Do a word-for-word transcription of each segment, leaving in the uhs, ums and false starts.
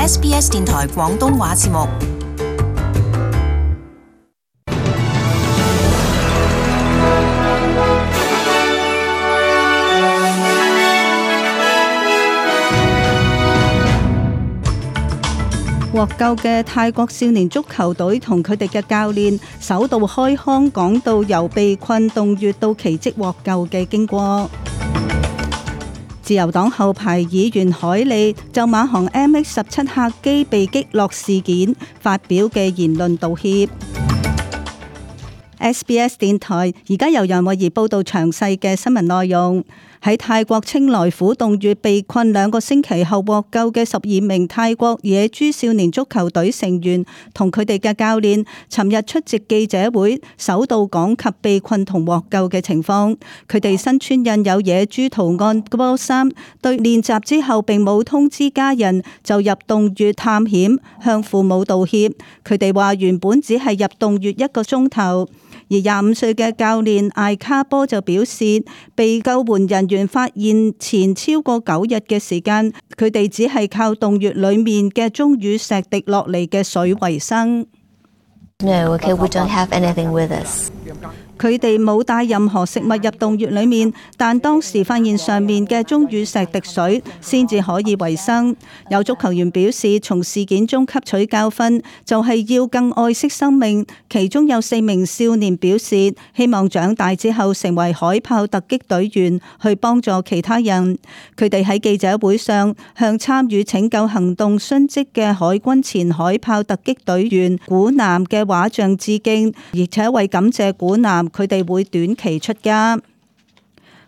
S B S 電台廣東話節目。獲救嘅泰國少年足球隊同佢哋嘅教練首度開腔，講到由被困洞穴到奇蹟獲救嘅經過。自由黨後排議員海利就馬航 M H 十七 客機被擊落事件發表嘅言論道歉。S B S 電台而家由楊慧儀報道詳細嘅新聞內容。喺泰國清萊府洞穴被困兩個星期後獲救嘅十二名泰國野豬少年足球隊成員同佢哋嘅教練，尋日出席記者會，首度講及被困同獲救嘅情況。佢哋身穿印有野豬圖案嘅波衫，對練習之後並冇通知家人就入洞穴探險，向父母道歉。佢哋話原本只係入洞穴一個鐘頭。而廿五歲嘅教練艾卡波就表示，被救援人員發現前超過九日嘅時間，佢哋只係靠洞穴裏面嘅鐘乳石滴落嚟嘅水為生。No, okay, we don't have anything with us. 佢哋冇帶任何食物入洞穴裏面，但當時發現上面嘅鐘乳石滴水，先至可以維生。有足球員表示，從事件中吸取教訓，就係要更愛惜生命。其中有四名少年表示，希望長大之後成為海豹突擊隊員，去幫助其他人。佢哋喺記者會上向參與拯救行動殉職嘅海軍前海豹突擊隊員古南嘅畫像致敬，而且為感謝古南，佢哋會短期出家。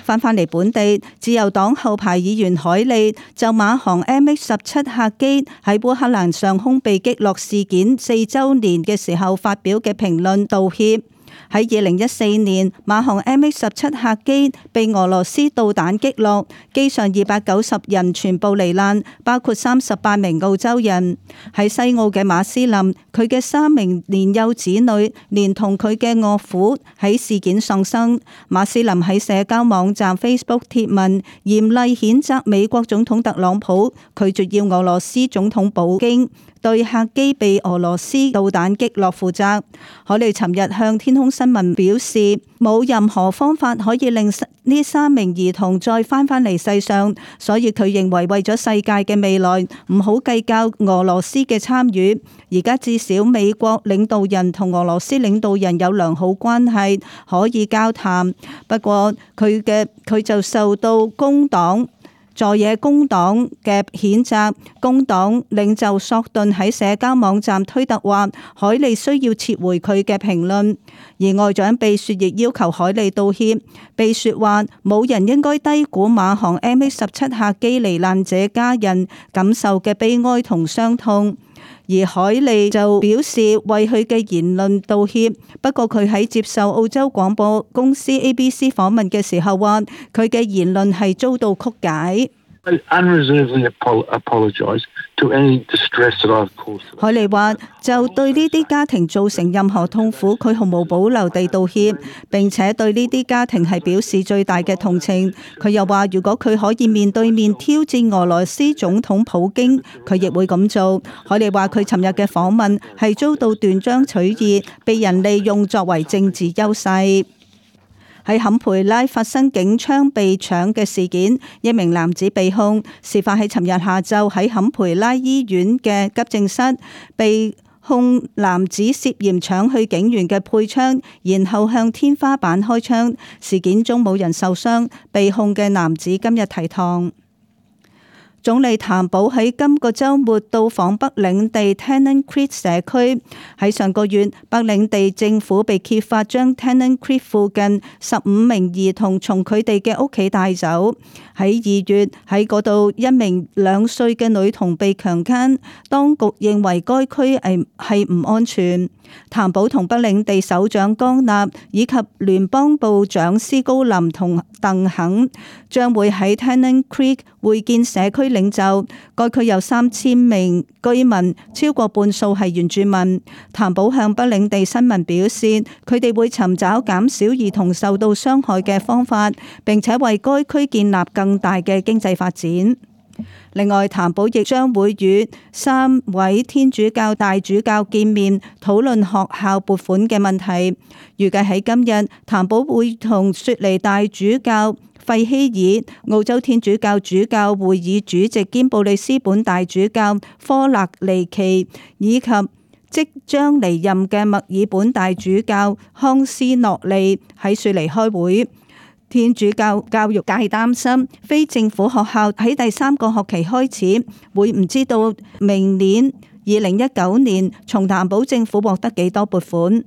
翻返嚟本地，自由黨後排議員海利就馬航 M H 十七 客機喺烏克蘭上空被擊落事件四周年嘅時候發表嘅評論道歉。喺二零一四年，馬航 M H 十七 客機被俄羅斯導彈擊落，機上二百九十人全部罹難，包括三十八名澳洲人。喺西澳嘅馬斯林，佢嘅三名年幼子女連同佢嘅岳父喺事件喪生。馬斯林喺社交網站 Facebook 貼文，嚴厲譴責美國總統特朗普拒絕要俄羅斯總統普京對客機被俄羅斯導彈擊落負責。海利尋日向天空新聞表示，冇任何方法可以令呢三名兒童再翻返嚟世上，所以佢認為為咗世界嘅未來，唔好計較俄羅斯嘅參與。而家至少美國領導人同俄羅斯領導人有良好關係，可以交談。不過佢嘅佢就受到工黨在野工黨嘅譴責。工黨領袖索頓喺社交網站推特話，海利需要撤回佢嘅評論。而外長貝雪亦要求海利道歉。貝雪話，冇人應該低估馬航 M H 十七 客機罹難者家人感受嘅悲哀同傷痛。而海利就表示為佢嘅言論道歉，不過佢喺接受澳洲廣播公司 A B C 訪問嘅時候話，佢嘅言論係遭到曲解。海利話就對呢啲家庭造成任何痛苦，佢毫無保留地道歉，並且對呢啲家庭係表示最大嘅同情。佢又話如果佢可以面對面挑戰俄羅斯總統普京，佢亦會咁做。海利話佢尋日嘅訪問係遭到斷章取義，被人利用作為政治優勢。喺坎培拉發生警槍被搶嘅事件，一名男子被控，事發喺尋日下晝喺坎培拉醫院嘅急症室，被控男子涉嫌搶去警員嘅配槍，然後向天花板開槍。事件中冇人受傷，被控嘅男子今日提堂。總理譚寶喺今個週末到訪北領地 Tennant Creek 社區。喺上個月，北領地政府被揭發將 Tennant Creek 附近十五名兒童從佢哋嘅屋企帶走。喺二月，喺嗰度一名兩歲嘅女童被強姦，當局認為該區係係唔安全。譚寶同北領地首長江納以及聯邦部長斯高林同鄧肯將會喺 Tennant Creek 會見社區領袖。該區有三千名居民，超過半數係原住民。譚寶向北領地新聞表示，佢哋會尋找減少兒童受到傷害嘅方法，並且為該區建立更大嘅經濟發展。另外，譚寶亦將會與三位天主教大主教見面，討論學校撥款嘅問題。預計喺今日，譚寶會同雪梨大主教費希爾、澳洲天主教主教會議主席兼布里斯本大主教科勒尼奇，以及即將離任嘅墨爾本大主教康斯諾利喺雪梨開會。天主教教育界擔心非政府學校喺第三個學期開始會唔知道明年二零一九年從譚寶政府獲得幾多撥款，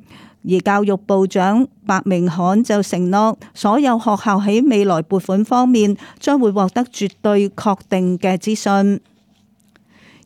而教育部長白明翰就承諾所有學校喺未來撥款方面將會獲得絕對確定嘅資訊。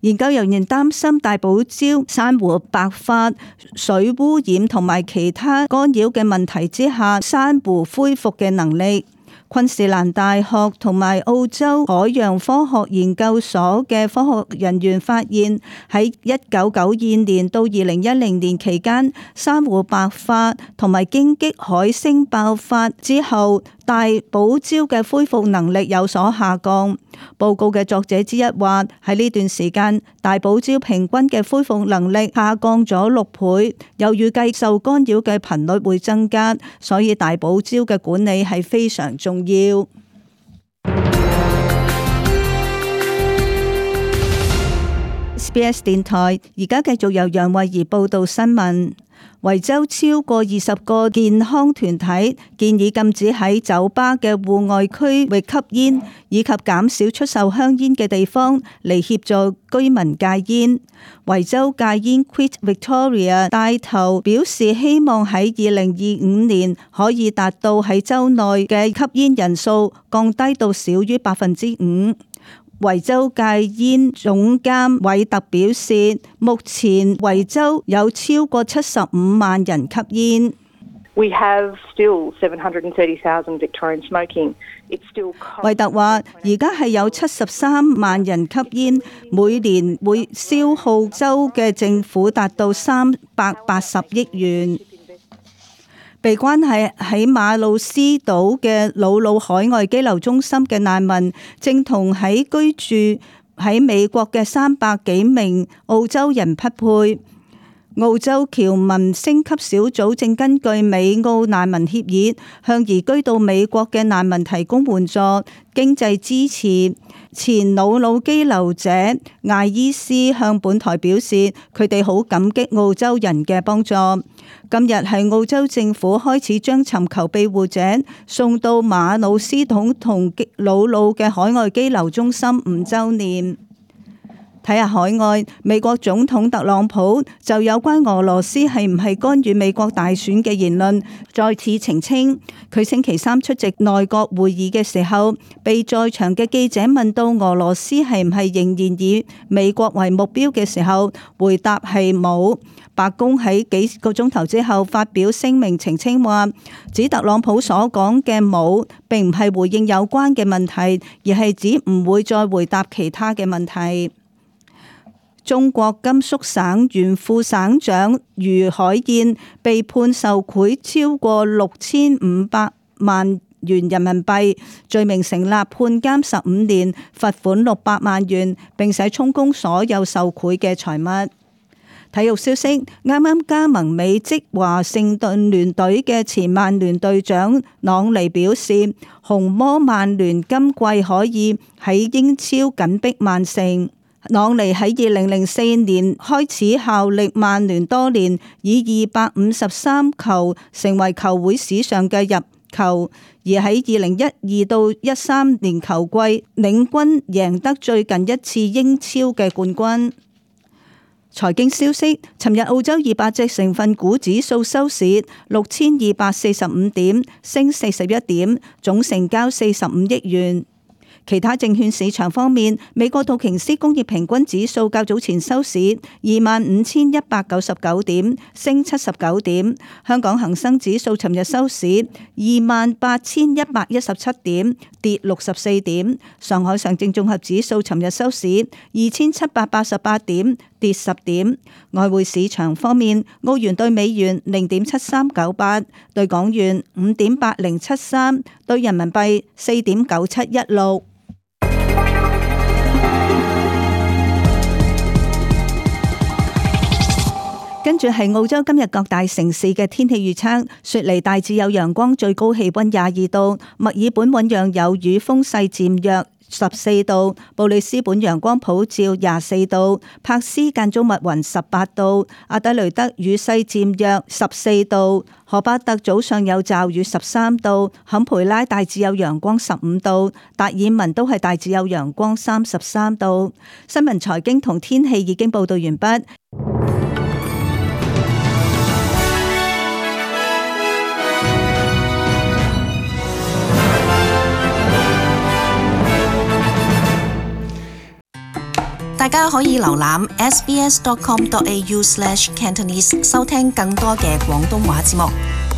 研究人員擔心大堡礁珊瑚白化、水污染同埋其他干擾嘅問題之下，珊瑚恢復嘅能力。昆士蘭大學同埋澳洲海洋科學研究所嘅科學人員發現，喺一九九二年到二零一零年期間，珊瑚白化同埋荊棘海星爆發之後，大堡礁嘅恢復能力有所下降。報告嘅作者之一話，喺呢段時間，大堡礁平均嘅恢復能力下降咗六倍，又預計受干擾嘅頻率會增加，所以大堡礁嘅管理係非常重要。S B S 電台而家繼續由楊慧儀報道新聞。維州超過二十個健康團體建議禁止喺酒吧嘅戶外區域吸煙，以及減少出售香煙嘅地方嚟協助居民戒煙。維州戒煙 Quit Victoria 帶頭表示，希望喺二零二五年可以達到喺州內嘅吸煙人數降低到少於百分之五。維州戒煙總監韋特表示，目前維州有超過七十五萬人吸煙。We have still seven hundred thirty thousand Victorians smoking. It's still 韋特話，而家係有七十三萬人吸煙，每年會消耗州嘅政府達到三百八十億元。被關係喺馬魯斯島嘅魯魯海外羈留中心嘅難民，正同喺居住喺美國嘅三百幾名澳洲人匹配。澳洲僑民升級小組正根據美澳難民協議，向移居到美國嘅難民提供援助、經濟支持。前魯魯羈留者艾伊斯向本台表示，佢哋好感激澳洲人嘅幫助。今日係澳洲政府開始將尋求庇護者送到馬魯斯島同魯魯嘅海外羈留中心五週年。睇下海外，美國總統特朗普就有關俄羅斯係唔係干預美國大選嘅言論再次澄清。佢星期三出席內閣會議嘅時候，被在場嘅記者問到俄羅斯係唔係仍然以美國為目標嘅時候，回答係冇。白宮喺幾個鐘頭之後發表聲明澄清話，指特朗普所講嘅冇並唔係回應有關嘅問題，而係指唔會再回答其他嘅問題。中國甘肅省原副省長余海燕被判受賄超過六千五百萬元人民幣，罪名成立，判監十五年，罰款六百萬元，並且充公所有受賄嘅財物。體育消息，啱啱加盟美職華盛頓聯隊嘅前曼聯隊長朗尼表示，紅魔曼聯今季可以喺英超緊逼曼城。朗尼喺二零零四年開始效力曼聯多年，以二百五十三球成為球會史上嘅入球，而喺二零一二到一三年球季領軍贏得最近一次英超嘅冠軍。財經消息，尋日澳洲二百隻成分股指數收市六千二百四十五點，升四十一點，總成交四十五億元。其他證券市場方面，美國道瓊斯工業平均指數較早前收市二萬五千一百九十九點，升七十九點。香港恒生指數尋日收市二萬八千一百一十七點，跌六十四點。上海上證綜合指數尋日收市二千七百八十八點，跌十點。外匯市場方面，澳元對美元零點七三九八，對港元五點八零七三，對人民幣四點九七一六。住係澳洲今日各大城市嘅天氣預測，雪梨大致有陽光，最高氣溫廿二度；墨爾本醞釀有雨，風勢漸弱，十四度；布里斯本陽光普照，廿四度；柏斯間中密雲，十八度；阿德雷德雨勢漸弱，十四度；荷巴特早上有驟雨，十三度；坎培拉大致有陽光，十五度；達爾文都係大致有陽光，三十三度。新聞財經同天氣已經報道完畢。大家可以瀏覽 s b s dot com dot a u slash cantonese 收聽更多嘅廣東話節目。